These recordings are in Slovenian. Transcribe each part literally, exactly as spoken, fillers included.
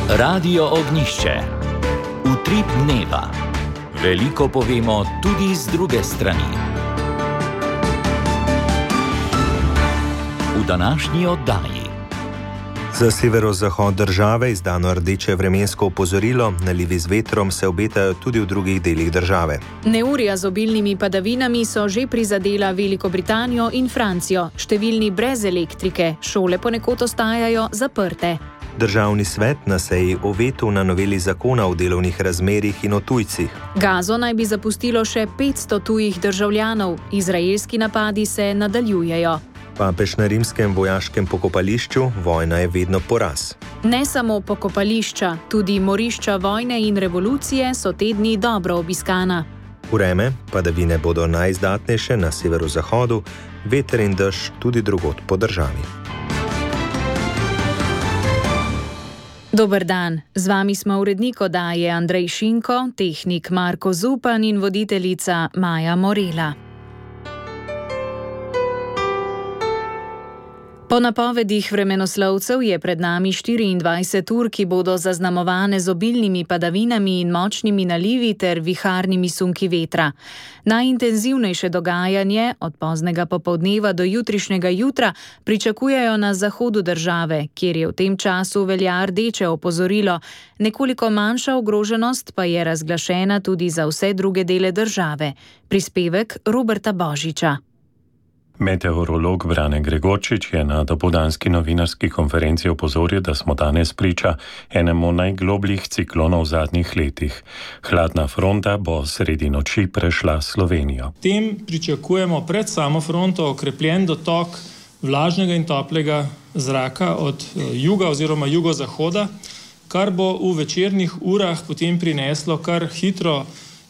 Radio Ognjišče. Utrip dneva. Veliko povemo tudi z druge strani. V današnji oddaji. Za severozahod države izdano rdeče vremensko opozorilo, nalivi z vetrom se obetajo tudi v drugih delih države. Neurja z obilnimi padavinami so že prizadela Veliko Britanijo in Francijo. Številni brez elektrike, šole ponekod ostajajo zaprte. Državni svet na seji o vetu na noveli zakona o delovnih razmerjih in o tujcih. Gazo naj bi zapustilo še petsto tujih državljanov. Izraelski napadi se nadaljujejo. Papež na rimskem vojaškem pokopališču, vojna je vedno poraz. Ne samo pokopališča, tudi morišča vojne in revolucije so te dni dobro obiskana. Vreme, padavine bodo najizdatnejše na severozahodu, veter in dež tudi drugod po državi. Dober dan, z vami smo urednik oddaje Andrej Šinko, tehnik Marko Zupan in voditeljica Maja Morela. Po napovedih vremenoslovcev je pred nami štiriindvajset ur, ki bodo zaznamovane z obilnimi padavinami in močnimi nalivi ter viharnimi sunki vetra. Najintenzivnejše dogajanje od poznega popoldneva do jutrišnjega jutra pričakujejo na zahodu države, kjer je v tem času velja rdeče opozorilo. Nekoliko manjša ogroženost pa je razglašena tudi za vse druge dele države. Prispevek Roberta Božiča. Meteorolog Brane Gregorčič je na dopoldanski novinarski konferenci opozoril, da smo danes priča enemu najglobljih ciklonov v zadnjih letih. Hladna fronta bo sredi noči prešla Slovenijo. Tem pričakujemo pred samo fronto okrepljen dotok vlažnega in toplega zraka od juga oziroma jugozahoda, kar bo v večernih urah potem prineslo kar hitro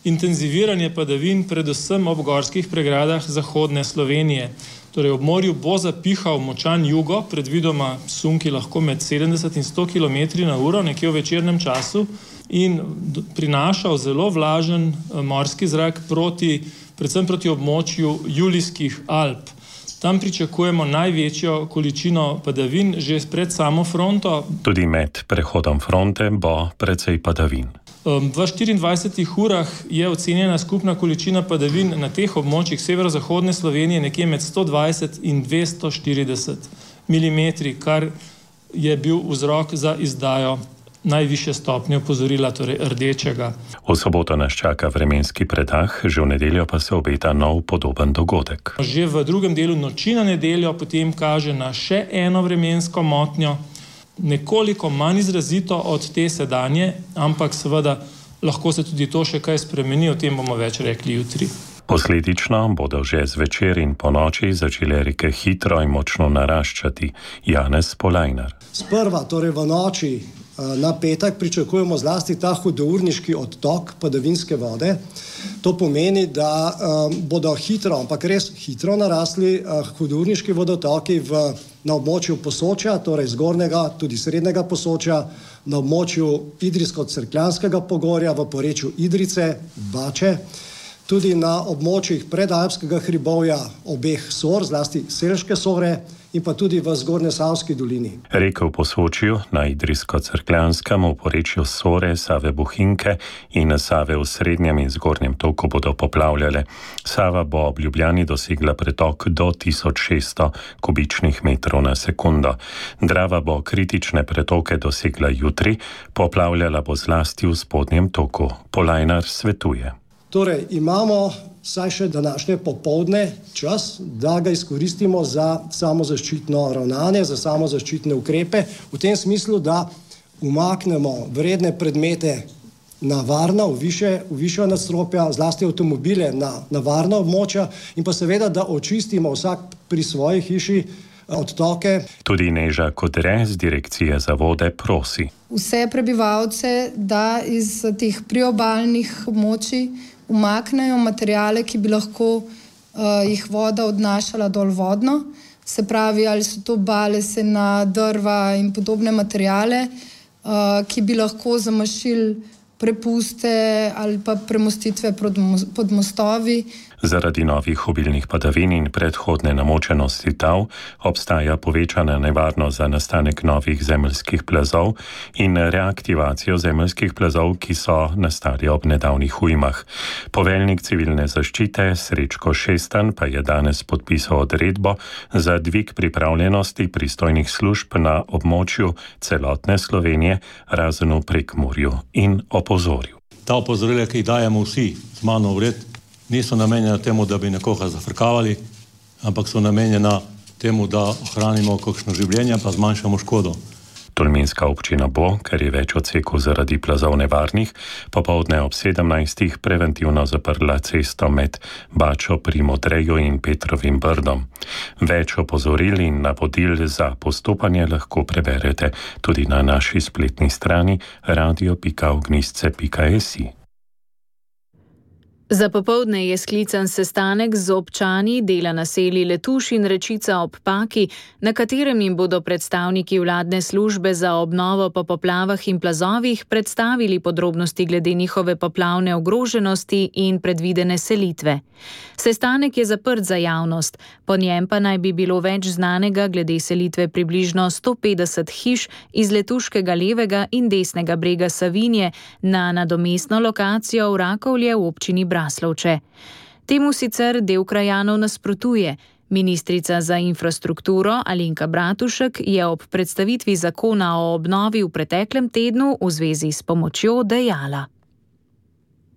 intenziviranje padavin, predvsem ob gorskih pregradah zahodne Slovenije. Torej, ob morju bo zapihal močan jugo, predvidoma sunki lahko med sedemdeset in sto kilometri na uro, nekje v večernem času, in prinašal zelo vlažen morski zrak proti, predvsem proti območju Julijskih Alp. Tam pričakujemo največjo količino padavin že pred samo fronto. Tudi med prehodom fronte bo precej padavin. V štiriindvajsetih urah je ocenjena skupna količina padavin na teh območjih severozahodne Slovenije nekje med sto dvajset in dvesto štirideset milimetrov, kar je bil vzrok za izdajo najvišje stopnje opozorila, torej rdečega. V soboto nas čaka vremenski predah, že v nedeljo pa se obeta nov podoben dogodek. Že v drugem delu noči na nedeljo potem kaže na še eno vremensko motnjo, nekoliko manj izrazito od te sedanje, ampak seveda lahko se tudi to še kaj spremeni, o tem bomo več rekli jutri. Posledično bodo že zvečer in ponoči začele reke hitro in močno naraščati. Janez Polajnar. Sprva, torej v noči na petek, pričakujemo zlasti ta hudourniški odtok padavinske vode. To pomeni, da um, bodo hitro, ampak res hitro narasli uh, hudourniški vodotoki v, na območju Posočja, torej zgornjega, tudi srednjega Posočja, na območju Idrijsko-Cerkljanskega pogorja, v porečju Idrice, Bače, tudi na območjih predalpskega hribovja obeh Sor, zlasti Selške Sore, in pa tudi v Zgornjesavski dolini. Reke v Posočju, na Idrijsko-Cerkljanskem, v porečju Sore, Save Bohinjke in Save v srednjem in zgornjem toku bodo poplavljale. Sava bo ob Ljubljani dosegla pretok do tisoč šeststo kubičnih metrov na sekundo. Drava bo kritične pretoke dosegla jutri, poplavljala bo zlasti v spodnjem toku. Polajnar svetuje. Torej, imamo saj še današnje popoldne čas, da ga izkoristimo za samozaščitno ravnanje, za samozaščitne ukrepe, v tem smislu, da umaknemo vredne predmete na varna, v više, v više nadstropja, zlasti avtomobile na, na varna območja in pa seveda, da očistimo vsak pri svoji hiši odtoke. Tudi Neža Kodre z Direkcije za vode prosi vse prebivalce, da iz teh priobalnih območij umaknejo materijale, ki bi lahko uh, jih voda odnašala dol vodno. Se pravi, ali so to balesena, drva in podobne materijale, uh, ki bi lahko zamašili prepuste ali pa premostitve pod mostovi. Zaradi novih obilnih padavin in predhodne namočenosti tal obstaja povečana nevarnost za nastanek novih zemeljskih plazov in reaktivacijo zemeljskih plazov, ki so nastali ob nedavnih ujmah. Poveljnik civilne zaščite Srečko Šestan pa je danes podpisal odredbo za dvig pripravljenosti pristojnih služb na območju celotne Slovenije, razen v Prekmurju, in opozoril. Ta opozorila, ki jih dajemo vsi z mano vred, niso namenjena temu, da bi nekoga zafrkavali, ampak so namenjena temu, da ohranimo kakšno življenje, pa zmanjšamo škodo. Tolminska občina bo, ker je več odsekov zaradi plazov nevarnih, popoldne ob sedemnajstih preventivno zaprla cesto med Bačo pri Modreju in Petrovim Brdom. Več opozoril in navodil za postopanje lahko preberete tudi na naši spletni strani radio pika ognjišče pika si. Za popoldne je sklican sestanek z občani dela naselij Letuš in Rečica ob Paki, na katerem jim bodo predstavniki vladne službe za obnovo po poplavah in plazovih predstavili podrobnosti glede njihove poplavne ogroženosti in predvidene selitve. Sestanek je zaprt za javnost, po njem pa naj bi bilo več znanega glede selitve približno sto petdeset hiš iz letuškega levega in desnega brega Savinje na nadomestno lokacijo v Rakovlje v občini Braslovče. Temu sicer del krajanov nasprotuje. Ministrica za infrastrukturo Alenka Bratušek je ob predstavitvi zakona o obnovi v preteklem tednu v zvezi s pomočjo dejala.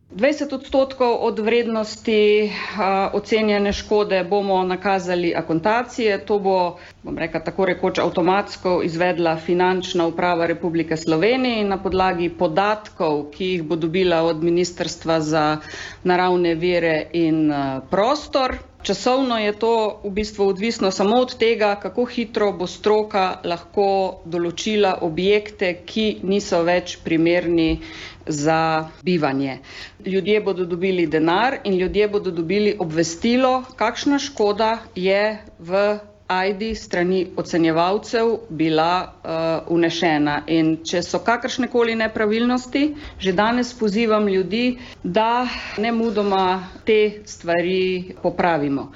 dvajset odstotkov od vrednosti a, ocenjene škode bomo nakazali akontacije. To bo, bom rekla, tako rekoč avtomatsko izvedla Finančna uprava Republike Slovenije na podlagi podatkov, ki jih bo dobila od Ministrstva za naravne vire in a, prostor. Časovno je to v bistvu odvisno samo od tega, kako hitro bo stroka lahko določila objekte, ki niso več primerni za bivanje. Ljudje bodo dobili denar in ljudje bodo dobili obvestilo, kakšna škoda je v Ajdi strani ocenjevalcev bila uh, unešena. In če so kakršnekoli nepravilnosti, že danes pozivam ljudi, da nemudoma te stvari popravimo.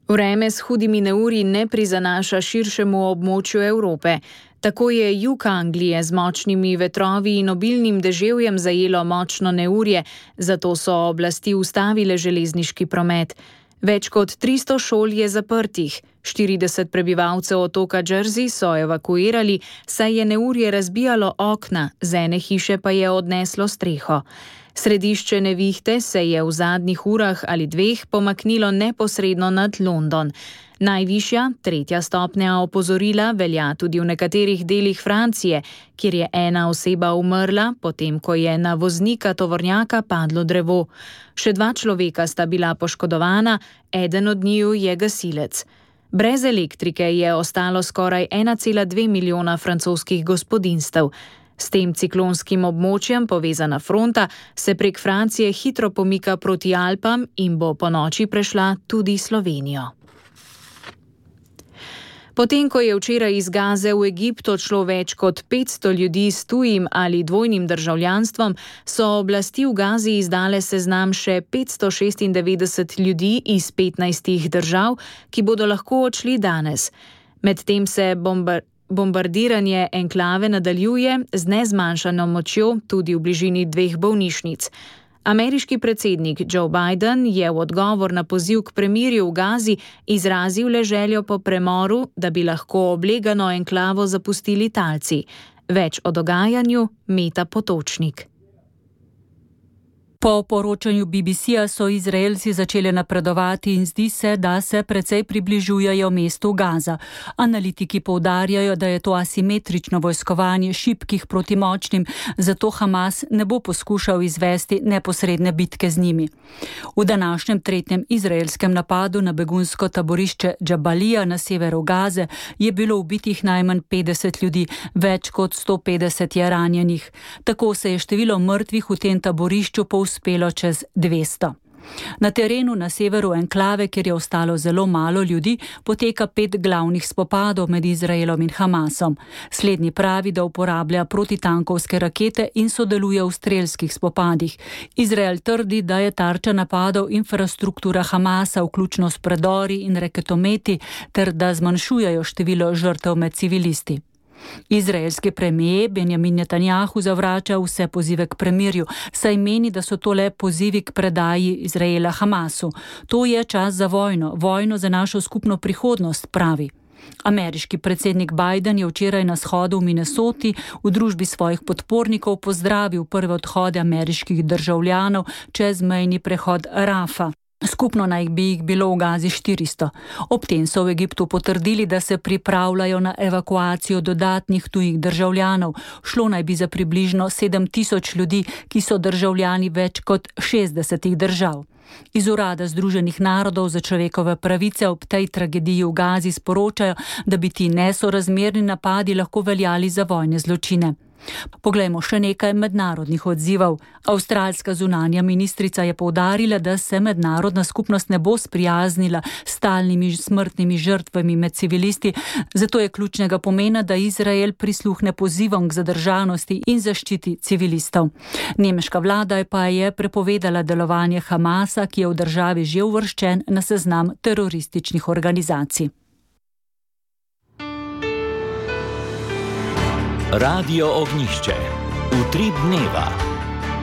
Vreme s hudimi neurji ne prizanaša širšemu območju Evrope. Tako je jug Anglije z močnimi vetrovi in obilnim deževjem zajelo močno neurje, zato so oblasti ustavile železniški promet. Več kot tristo šol je zaprtih, štirideset prebivalcev otoka Jersey so evakuirali, saj je neurje razbijalo okna, z ene hiše pa je odneslo streho. Središče nevihte se je v zadnjih urah ali dveh pomaknilo neposredno nad London. Najvišja, tretja stopnja opozorila velja tudi v nekaterih delih Francije, kjer je ena oseba umrla, potem ko je na voznika tovornjaka padlo drevo. Še dva človeka sta bila poškodovana, eden od njiju je gasilec. Brez elektrike je ostalo skoraj ena cela dve milijona francoskih gospodinjstev. S tem ciklonskim območjem povezana fronta se prek Francije hitro pomika proti Alpam in bo ponoči prešla tudi Slovenijo. Potem, ko je včeraj iz Gaze v Egipt odšlo več kot petsto ljudi s tujim ali dvojnim državljanstvom, so oblasti v Gazi izdale seznam še petsto šestindevetdeset ljudi iz petnajstih držav, ki bodo lahko odšli danes. Medtem se bombar bombardiranje enklave nadaljuje z nezmanjšano močjo tudi v bližini dveh bolnišnic. Ameriški predsednik Joe Biden je v odgovor na poziv k premirju v Gazi izrazil le željo po premoru, da bi lahko oblegano enklavo zapustili talci. Več o dogajanju Meta Potočnik. Po poročanju B B C-ja so Izraelci začeli napredovati in zdi se, da se precej približujejo mestu Gaza. Analitiki poudarjajo, da je to asimetrično vojskovanje šibkih proti močnim, zato Hamas ne bo poskušal izvesti neposredne bitke z njimi. V današnjem tretjem izraelskem napadu na begunsko taborišče Džabalija na severu Gaze je bilo ubitih najmanj petdeset ljudi, več kot sto petdeset je ranjenih. Tako se je število mrtvih v tem taborišču povzpelo čez dvesto. Na terenu na severu enklave, kjer je ostalo zelo malo ljudi, poteka pet glavnih spopadov med Izraelom in Hamasom. Slednji pravi, da uporablja protitankovske rakete in sodeluje v strelskih spopadih. Izrael trdi, da je tarča napadov infrastruktura Hamasa, vključno s predori in raketometi, ter da zmanjšujejo število žrtev med civilisti. Izraelski premijer Benjamin Netanjahu zavrača vse pozive k premirju, saj meni, da so to le pozivi k predaji Izraela Hamasu. To je čas za vojno, vojno za našo skupno prihodnost, pravi. Ameriški predsednik Biden je včeraj na shodu v Minnesoti v družbi svojih podpornikov pozdravil prve odhode ameriških državljanov čez mejni prehod Rafa. Skupno naj bi jih bilo v Gazi štiristo. Ob tem so v Egiptu potrdili, da se pripravljajo na evakuacijo dodatnih tujih državljanov. Šlo naj bi za približno sedem tisoč ljudi, ki so državljani več kot šestdesetih držav. Iz Urada Združenih narodov za človekove pravice ob tej tragediji v Gazi sporočajo, da bi ti nesorazmerni napadi lahko veljali za vojne zločine. Poglejmo še nekaj mednarodnih odzivov. Avstralska zunanja ministrica je poudarila, da se mednarodna skupnost ne bo sprijaznila s stalnimi smrtnimi žrtvami med civilisti, zato je ključnega pomena, da Izrael prisluhne pozivom k zadržanosti in zaščiti civilistov. Nemška vlada pa je prepovedala delovanje Hamasa, ki je v državi že uvrščen na seznam terorističnih organizacij. Radio Ognjišče. Utrip dneva.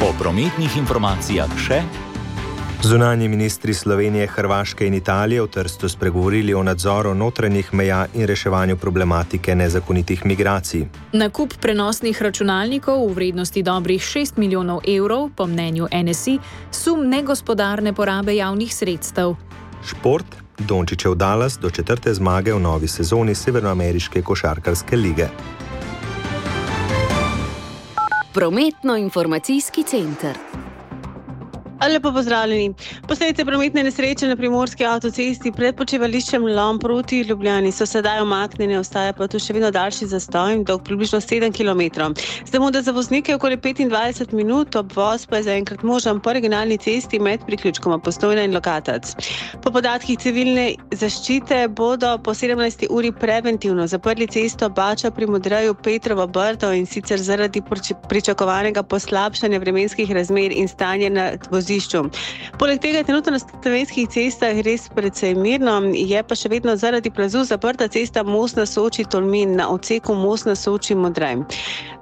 Po prometnih informacijah še. Zunanji ministri Slovenije, Hrvaške in Italije v Trstu spregovorili o nadzoru notranjih meja in reševanju problematike nezakonitih migracij. Nakup prenosnih računalnikov v vrednosti dobrih šest milijonov evrov, po mnenju N S I, sum negospodarne porabe javnih sredstev. Šport. Dončićev Dallas do četrte zmage v novi sezoni Severnoameriške košarkarske lige. Prometno-informacijski center. Lepo pozdravljeni. Posledice prometne nesreče na primorski avtocesti pred počivališčem Lom proti Ljubljani so sedaj umaknjene, ostaja pa tu še vedno daljši zastoj, dolg približno sedem kilometrov. Zamuda za voznike okoli petindvajset minut, obvoz pa je zaenkrat možen po regionalni cesti med priključkoma Postojna in Lokatac. Po podatkih civilne zaščite bodo po sedemnajsti uri preventivno zaprli cesto Bača pri Modreju Petrovo Brdo, in sicer zaradi pričakovanega poslabšanja vremenskih razmer in stanja na vozišču. Poleg tega je trenutno na slovenskih cestah res precej mirno, je pa še vedno zaradi plazu zaprta cesta Most na Soči Tolmin na odseku Most na Soči Modrej.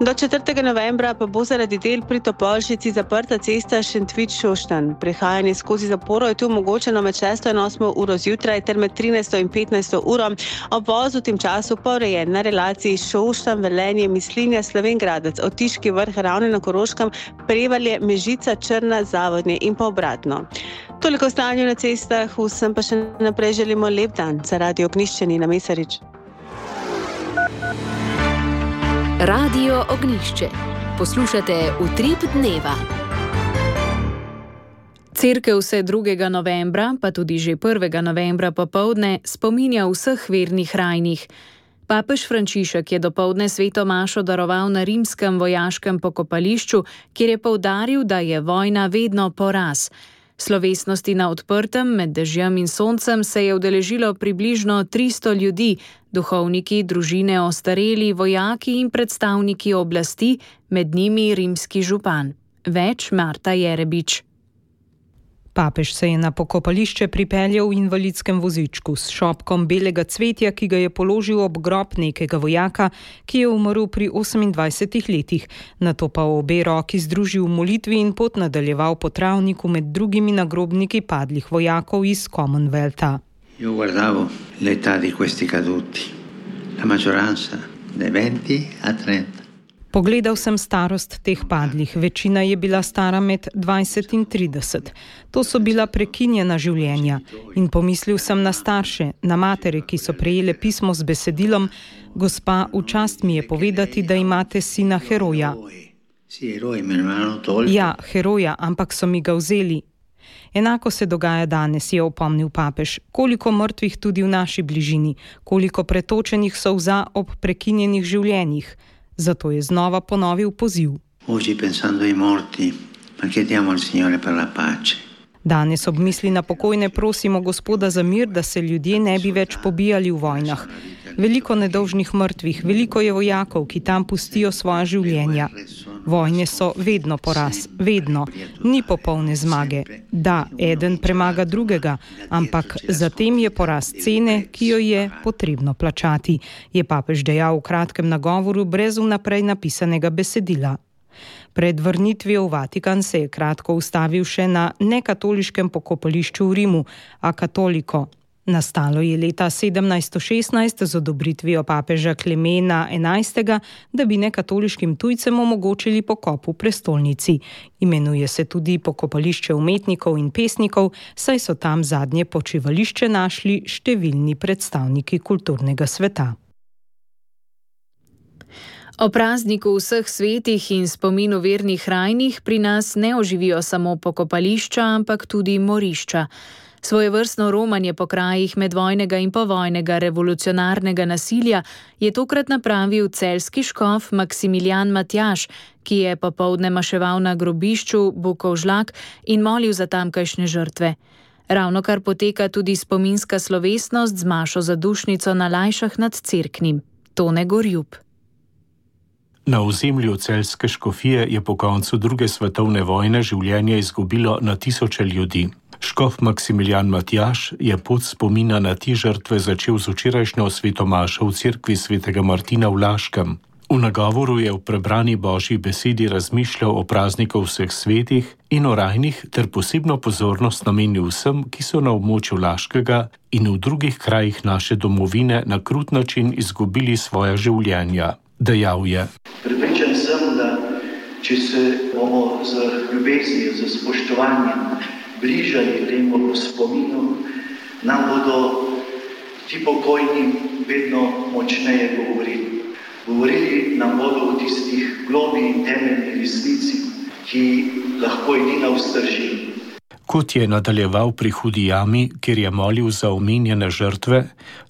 Do četrtega novembra pa bo zaradi del pri Topolšici zaprta cesta Šentvid Šoštanj. Prehajanje skozi zaporo je tu omogočeno med šesto in osmo uro zjutraj ter med trinajsto in petnajsto uro. Obvoz v tem času pa urejen na relaciji Šoštanj, Velenje, Mislinja, Slovenj Gradec, Otiški Vrh, Ravne na Koroškem, Prevalje, Mežica, Črna, Zavodnje in pa obratno. Toliko o stanju na cestah, vsem pa še naprej želimo lep dan. Za Radio Ognjišče Nina Mesarič. Radio Ognjišče. Poslušate Utrip dneva. Cerkev se drugega novembra, pa tudi že prvega novembra popoldne spominja vseh vernih rajnih. Papež Frančišek je dopoldne sveto mašo daroval na rimskem vojaškem pokopališču, kjer je poudaril, da je vojna vedno poraz. Slovesnosti na odprtem med dežjem in soncem se je udeležilo približno tristo ljudi, duhovniki, družine, ostareli, vojaki in predstavniki oblasti, med njimi rimski župan. Več Marta Jerebič. Papež se je na pokopališče pripeljal v invalidskem vozičku s šopkom belega cvetja, ki ga je položil ob grob nekega vojaka, ki je umrl pri osemindvajsetih letih. Nato pa obe roki združil v molitvi in pot nadaljeval po travniku med drugimi nagrobniki padlih vojakov iz Commonwealtha. Io guardavo l'età di questi caduti, la maggioranza dai venti a trenta. Pogledal sem starost teh padlih, večina je bila stara med dvajset in trideset. To so bila prekinjena življenja. In pomislil sem na starše, na matere, ki so prejele pismo z besedilom: Gospa, v čast mi je povedati, da imate sina heroja. Ja, heroja, ampak so mi ga vzeli. Enako se dogaja danes, je opomnil papež. Koliko mrtvih tudi v naši bližini, koliko pretočenih solza ob prekinjenih življenjih. Zato je znova ponovil poziv. Danes ob misli na pokojne prosimo Gospoda za mir, da se ljudje ne bi več pobijali v vojnah. Veliko nedolžnih mrtvih, veliko je vojakov, ki tam pustijo svoja življenja. Vojne so vedno poraz, vedno. Ni popolne zmage. Da, eden premaga drugega, ampak zatem je poraz cene, ki jo je potrebno plačati, je papež dejal v kratkem nagovoru brez vnaprej napisanega besedila. Pred vrnitvijo v Vatikan se je kratko ustavil še na nekatoliškem pokopališču v Rimu, a katoliko. Nastalo je leta sedemnajststo šestnajst z odobritvijo papeža Klemena enajstega, da bi nekatoliškim tujcem omogočili pokop v prestolnici. Imenuje se tudi pokopališče umetnikov in pesnikov, saj so tam zadnje počivališče našli številni predstavniki kulturnega sveta. O prazniku vseh svetih in spominu vernih rajnih pri nas ne oživijo samo pokopališča, ampak tudi morišča. Svojevrstno romanje po krajih medvojnega in povojnega revolucionarnega nasilja je tokrat napravil celjski škof Maksimilijan Matjaž, ki je popoldne maševal na grobišču Bukovžlak in molil za tamkajšnje žrtve. Ravnokar poteka tudi spominska slovesnost z mašo zadušnico na Lajšah nad Cerknim. Tone Gorjub. Na ozemlju celjske škofije je po koncu druge svetovne vojne življenje izgubilo na tisoče ljudi. Škof Maksimilijan Matjaž je pot spomina na te žrtve začel z včerajšnjo svetomašo v cerkvi svetega Martina v Laškem. V nagovoru je v prebrani Božji besedi razmišljal o prazniku vseh svetih in o rajnih ter posebno pozornost namenil vsem, ki so na območju Laškega in v drugih krajih naše domovine na krut način izgubili svoja življenja. Dejal je: Prepričan sem, da če se bomo z ljubeznijo, z spoštovanjem bližali temu spominu, nam bodo ti pokojni vedno močneje govorili. Govorili nam bodo o tistih globi in temeljni resnici, ki lahko edina vzdrži. Kot je nadaljeval pri Hudi jami, kjer je molil za omenjene žrtve,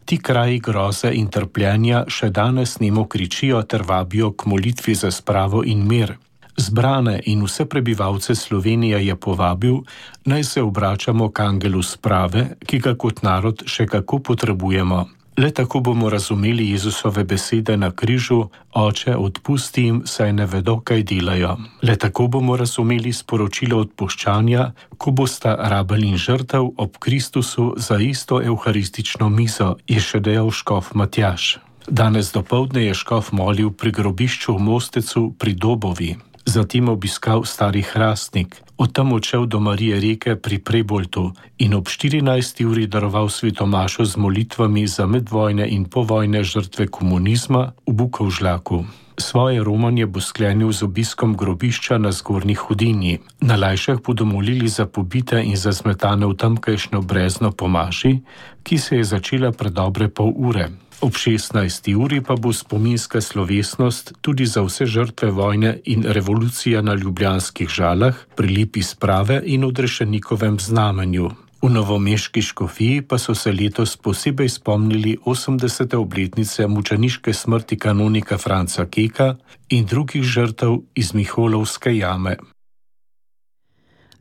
ti kraji groze in trpljenja še danes nemo kričijo ter vabijo k molitvi za spravo in mir. Zbrane in vse prebivalce Slovenije je povabil, naj se obračamo k angelu sprave, ki ga kot narod še kako potrebujemo. Le tako bomo razumeli Jezusove besede na križu: Oče, odpusti jim, saj ne vedo, kaj delajo. Le tako bomo razumeli sporočilo odpuščanja, ko bosta rabelj in žrtev ob Kristusu za isto evharistično mizo, je še dejal škof Matjaž. Danes dopoldne je škof molil pri grobišču v Mostecu pri Dobovi. Zatem obiskal Stari Hrastnik, od tam odšel do Marije Reke pri Preboltu in ob štirinajsti uri daroval svetomašo z molitvami za medvojne in povojne žrtve komunizma v Bukovžlaku. Svoje romanje bo sklenil z obiskom grobišča na Zgornji Hudinji. Na Lajšah bodo molili za pobite in za zmetane v tamkajšnjo brezno po maši, ki se je začela pred dobre pol ure. Ob šestnajsti uri pa bo spominska slovesnost tudi za vse žrtve vojne in revolucije na ljubljanskih Žalah, pri lipi sprave in odrešenikovem znamenju. V novomeški škofiji pa so se letos posebej spomnili osemdesete obletnice mučeniške smrti kanonika Franca Keka in drugih žrtev iz Miholovske jame.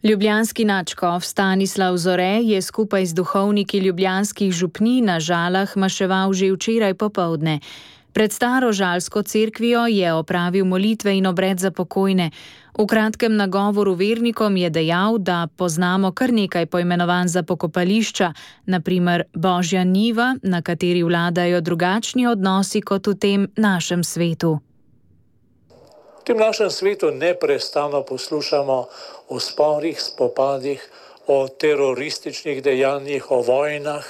Ljubljanski nadškof Stanislav Zore je skupaj z duhovniki ljubljanskih župnij na Žalah maševal že včeraj popoldne. Pred staro žalsko cerkvijo je opravil molitve in obred za pokojne. V kratkem nagovoru vernikom je dejal, da poznamo kar nekaj poimenovanj za pokopališča, na primer Božja njiva, na kateri vladajo drugačni odnosi kot v tem našem svetu. V tem našem svetu neprestano poslušamo o sporih, spopadih, o terorističnih dejanjih, o vojnah,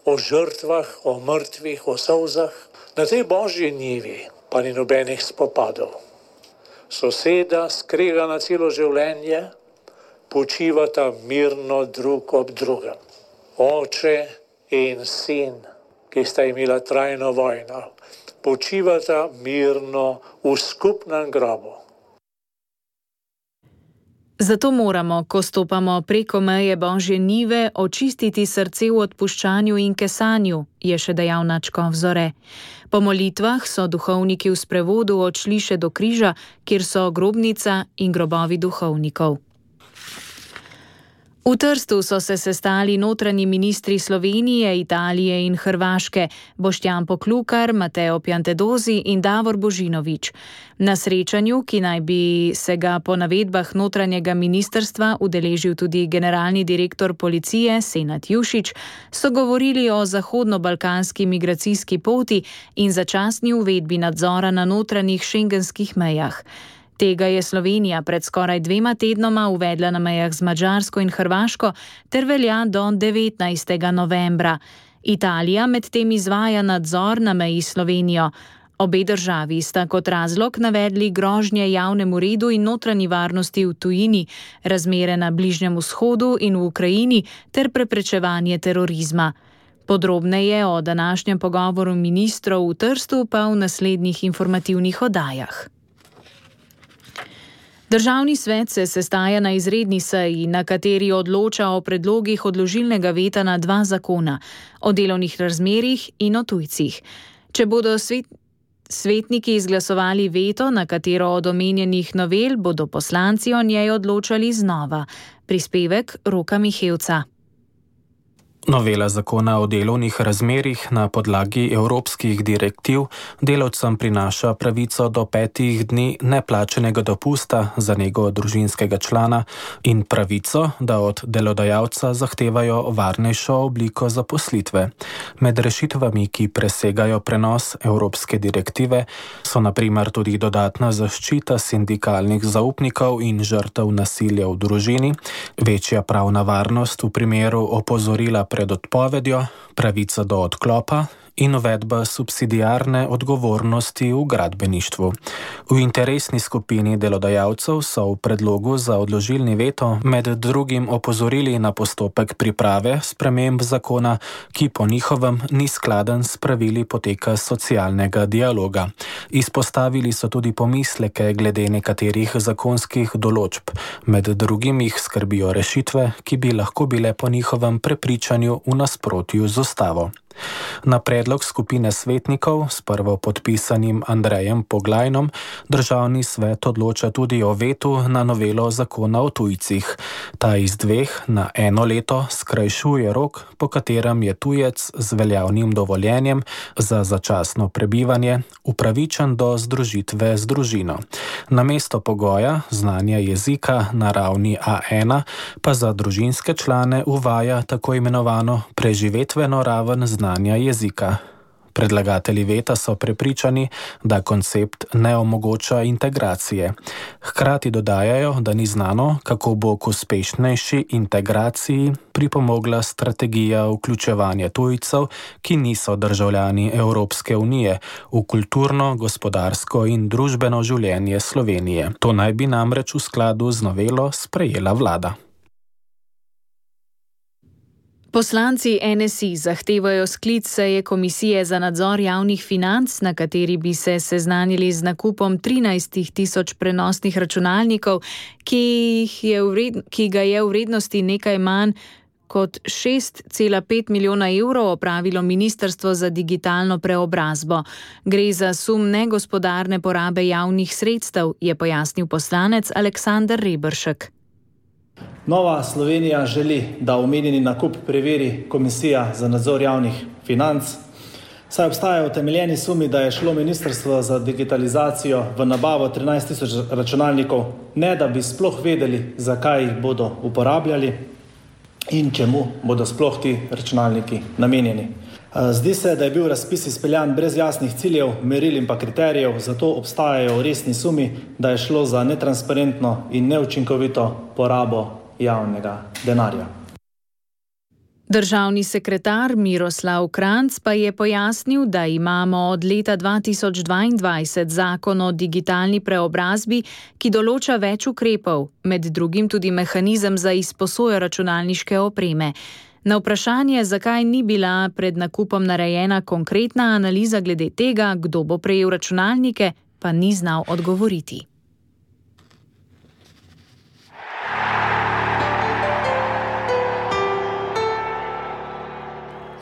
o žrtvah, o mrtvih, o solzah. Na tej Božji njivi pa ni nobenih spopadov. Soseda, skregana celo življenje, počivata mirno drug ob drugem. Oče in sin, ki sta imela trajno vojno, počivata mirno v skupnem grobu. Zato moramo, ko stopamo preko meje Božje njive, očistiti srce v odpuščanju in kesanju, je še dejal nadškof Zore. Po molitvah so duhovniki v sprevodu odšli še do križa, kjer so grobnica in grobovi duhovnikov. V Trstu so se sestali notranji ministri Slovenije, Italije in Hrvaške, Boštjan Poklukar, Mateo Piantedosi in Davor Božinović. Na srečanju, ki naj bi se ga po navedbah notranjega ministrstva udeležil tudi generalni direktor policije Senad Jušić, so govorili o zahodno-balkanski migracijski poti in začasni uvedbi nadzora na notranjih šengenskih mejah. Tega je Slovenija pred skoraj dvema tednoma uvedla na mejah z Madžarsko in Hrvaško ter velja do devetnajstega novembra. Italija medtem izvaja nadzor na meji s Slovenijo. Obe državi sta kot razlog navedli grožnje javnemu redu in notranji varnosti v tujini, razmere na Bližnjem vzhodu in v Ukrajini ter preprečevanje terorizma. Podrobneje o današnjem pogovoru ministrov v Trstu pa v naslednjih informativnih oddajah. Državni svet se sestaja na izredni seji, na kateri odloča o predlogih odložilnega veta na dva zakona, o delovnih razmerjih in o tujcih. Če bodo svet, svetniki izglasovali veto, na katero od omenjenih novel, bodo poslanci o njej odločali znova. Prispevek Roka Mihevca. Novela zakona o delovnih razmerjih na podlagi evropskih direktiv delavcem prinaša pravico do petih dni neplačenega dopusta za nego družinskega člana in pravico, da od delodajalca zahtevajo varnejšo obliko zaposlitve. Med rešitvami, ki presegajo prenos evropske direktive, so na primer tudi dodatna zaščita sindikalnih zaupnikov in žrtev nasilja v družini, večja pravna varnost v primeru opozorila pred odpovedjo, pravica do odklopa in uvedba subsidiarne odgovornosti v gradbeništvu. V interesni skupini delodajalcev so v predlogu za odložilni veto med drugim opozorili na postopek priprave sprememb zakona, ki po njihovem ni skladen s pravili poteka socialnega dialoga. Izpostavili so tudi pomisleke glede nekaterih zakonskih določb, med drugim jih skrbijo rešitve, ki bi lahko bile po njihovem prepričanju v nasprotju z ustavo. Na predlog skupine svetnikov s prvopodpisanim Andrejem Poglajnom državni svet odloča tudi o vetu na novelo zakona o tujcih. Ta iz dveh na eno leto skrajšuje rok, po katerem je tujec z veljavnim dovoljenjem za začasno prebivanje upravičen do združitve z družino. Namesto pogoja znanja jezika na ravni A ena pa za družinske člane uvaja tako imenovano preživetveno raven znanja jezika. Predlagatelji veta so prepričani, da koncept ne omogoča integracije. Hkrati dodajajo, da ni znano, kako bo k uspešnejši integraciji pripomogla strategija vključevanja tujcev, ki niso državljani Evropske unije, v kulturno, gospodarsko in družbeno življenje Slovenije. To naj bi namreč v skladu z novelo sprejela vlada. Poslanci N S I zahtevajo sklic seje Komisije za nadzor javnih financ, na kateri bi se seznanili z nakupom trinajst tisoč prenosnih računalnikov, ki, jih je vred, ki ga je v vrednosti nekaj manj kot šest cela pet milijona evrov opravilo Ministrstvo za digitalno preobrazbo. Gre za sum negospodarne porabe javnih sredstev, je pojasnil poslanec Aleksander Reberšek. Nova Slovenija želi, da omenjeni nakup preveri Komisija za nadzor javnih financ, saj obstajajo utemeljeni sumi, da je šlo Ministrstvo za digitalizacijo v nabavo trinajst tisoč računalnikov, ne da bi sploh vedeli, zakaj jih bodo uporabljali in čemu bodo sploh ti računalniki namenjeni. Zdi se, da je bil razpis izpeljan brez jasnih ciljev, meril in pa kriterijev, zato obstajajo resni sumi, da je šlo za netransparentno in neučinkovito porabo javnega denarja. Državni sekretar Miroslav Kranjc pa je pojasnil, da imamo od leta dva tisoč dvaindvajset zakon o digitalni preobrazbi, ki določa več ukrepov, med drugim tudi mehanizem za izposojo računalniške opreme. Na vprašanje, zakaj ni bila pred nakupom narejena konkretna analiza glede tega, kdo bo prejel računalnike, pa ni znal odgovoriti.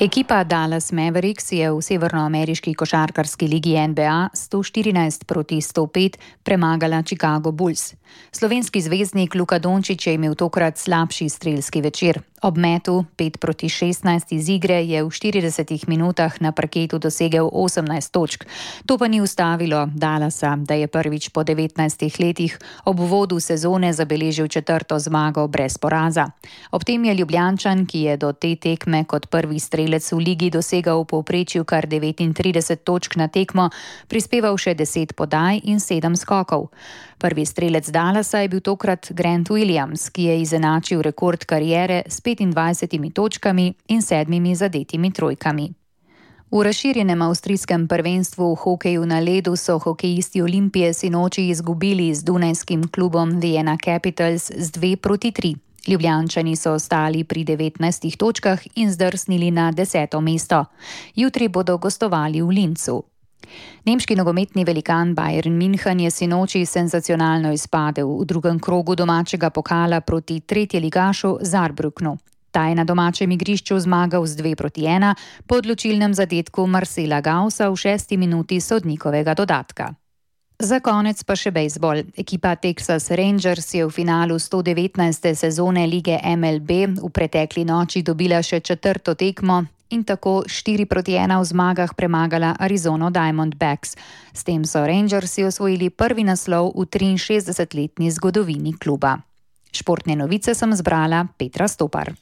Ekipa Dallas Mavericks je v severnoameriški košarkarski ligi N B A sto štirinajst proti sto pet premagala Chicago Bulls. Slovenski zvezdnik Luka Dončić je imel tokrat slabši strelski večer. Ob metu pet proti šestnajst iz igre je v štiridesetih minutah na parketu dosegel osemnajst točk. To pa ni ustavilo Dallasa, da je prvič po devetnajstih letih ob uvodu sezone zabeležil četrto zmago brez poraza. Ob tem je Ljubljančan, ki je do te tekme kot prvi strelec v ligi dosegal v povprečju kar devetintrideset točk na tekmo, prispeval še deset podaj in sedem skokov. Prvi strelec Dallasa je bil tokrat Grant Williams, ki je izenačil rekord kariere s petindvajsetimi točkami in sedmimi zadetimi trojkami. V razširjenem avstrijskem prvenstvu v hokeju na ledu so hokejisti Olimpije sinoči izgubili z dunajskim klubom Vienna Capitals z dve proti tri. Ljubljančani so ostali pri devetnajstih točkah in zdrsnili na deseto mesto. Jutri bodo gostovali v Linzu. Nemški nogometni velikan Bayern München je sinoči senzacionalno izpadel v drugem krogu domačega pokala proti tretjeligašu Saarbrücknu. Ta je na domačem igrišču zmagal z dve proti ena po odločilnem zadetku Marcela Gaussa v šesti minuti sodnikovega dodatka. Za konec pa še bejzbol. Ekipa Texas Rangers je v finalu sto devetnajste sezone lige M L B v pretekli noči dobila še četrto tekmo in tako štiri proti ena v zmagah premagala Arizona Diamondbacks. S tem so Rangersi osvojili prvi naslov v triinšestdesetletni zgodovini kluba. Športne novice sem zbrala Petra Stopar.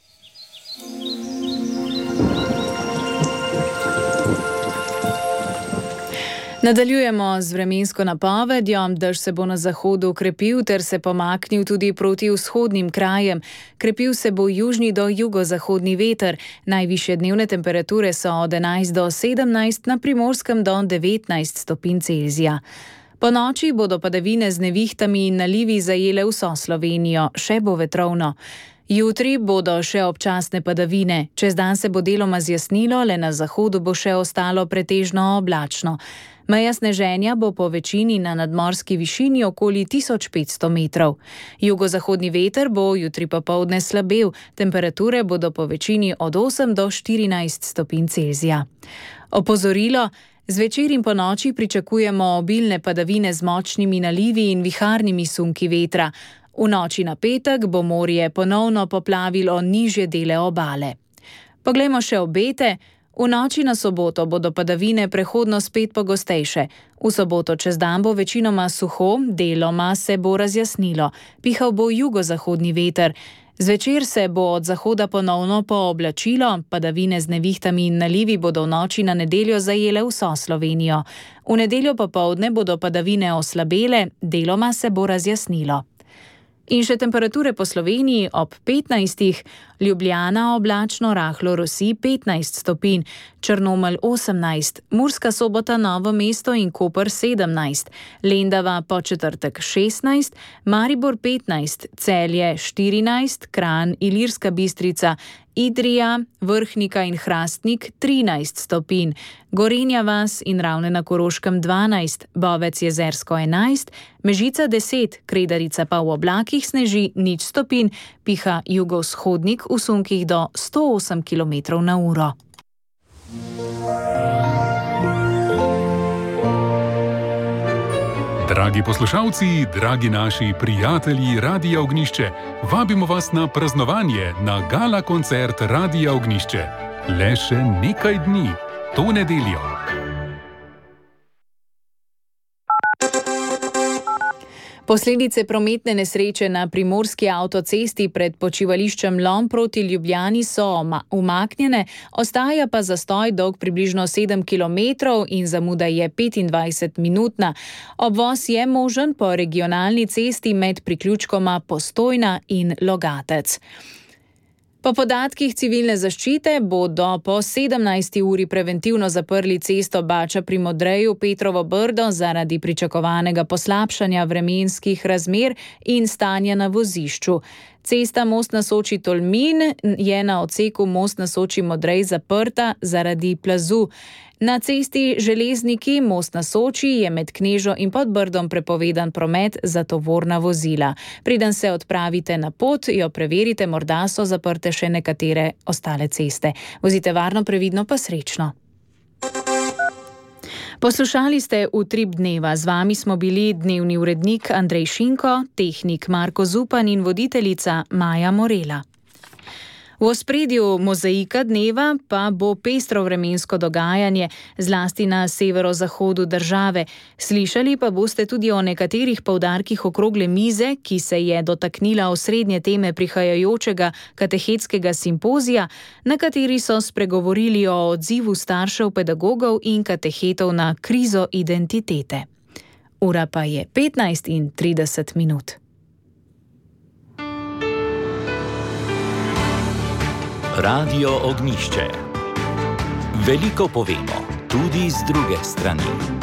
Nadaljujemo z vremensko napovedjo. Dež se bo na zahodu okrepil ter se pomaknil tudi proti vzhodnim krajem. Krepil se bo južni do jugozahodni veter. Najvišje dnevne temperature so od enajst do sedemnajst, na Primorskem do devetnajst stopinj Celzija. Po noči bodo padavine z nevihtami in nalivi zajele vso Slovenijo, še bo vetrovno. Jutri bodo še občasne padavine. Čez dan se bo deloma zjasnilo, le na zahodu bo še ostalo pretežno oblačno. Meja sneženja bo po večini na nadmorski višini okoli tisoč petsto metrov. Jugozahodni veter bo jutri popoldne slabel, temperature bodo po večini od osem do štirinajst stopinj Celzija. Opozorilo: zvečer in po noči pričakujemo obilne padavine z močnimi nalivi in viharnimi sunki vetra. V noči na petek bo morje ponovno poplavilo nižje dele obale. Poglejmo še obete. V noči na soboto bodo padavine prehodno spet pogostejše. V soboto čez dan bo večinoma suho, deloma se bo razjasnilo. Pihal bo jugozahodni veter. Zvečer se bo od zahoda ponovno pooblačilo, padavine z nevihtami in nalivi bodo v noči na nedeljo zajele vso Slovenijo. V nedeljo popoldne bodo padavine oslabele, deloma se bo razjasnilo. In še temperature po Sloveniji ob petnajstih, Ljubljana oblačno rahlo rosi petnajst stopinj, Črnomelj osemnajst, Murska Sobota, Novo mesto in Koper sedemnajst, Lendava Podčetrtek šestnajst, Maribor petnajst, Celje štirinajst, Kranj, Ilirska Bistrica, Idrija, Vrhnika in Hrastnik trinajst stopinj, Gorenja vas in Ravne na Koroškem dvanajst, Bovec Jezersko enajst, Mežica deset, Kredarica pa v oblakih sneži nič stopinj, piha jugovzhodnik v sunkih do sto osem kilometrov na uro. Dragi poslušalci, dragi naši prijatelji Radia Ognišče, vabimo vas na praznovanje na gala koncert Radia Ognišče. Le še nekaj dni, to nedeljo. Posledice prometne nesreče na primorski avtocesti pred počivališčem Lom proti Ljubljani so umaknjene, ostaja pa zastoj dolg približno sedem kilometrov in zamuda je petindvajset minutna. Obvoz je možen po regionalni cesti med priključkoma Postojna in Logatec. Po podatkih civilne zaščite bodo po sedemnajsti uri preventivno zaprli cesto Bača pri Modreju Petrovo Brdo zaradi pričakovanega poslabšanja vremenskih razmer in stanja na vozišču. Cesta Most na Soči Tolmin je na odseku Most na Soči Modrej zaprta zaradi plazu. Na cesti Železniki Most na Soči je med Knežo in Podbrdom prepovedan promet za tovorna vozila. Preden se odpravite na pot, jo preverite, morda so zaprte še nekatere ostale ceste. Vozite varno, previdno pa srečno. Poslušali ste Utrip dneva. Z vami smo bili dnevni urednik Andrej Šinko, tehnik Marko Zupan in voditeljica Maja Morela. V ospredju mozaika dneva pa bo pestro vremensko dogajanje, zlasti na severozahodu države. Slišali pa boste tudi o nekaterih poudarkih okrogle mize, ki se je dotaknila osrednje teme prihajajočega katehetskega simpozija, na kateri so spregovorili o odzivu staršev, pedagogov in katehetov na krizo identitete. Ura pa je petnajst in trideset minut. Radio Ognjišče. Veliko povemo, tudi z druge strani.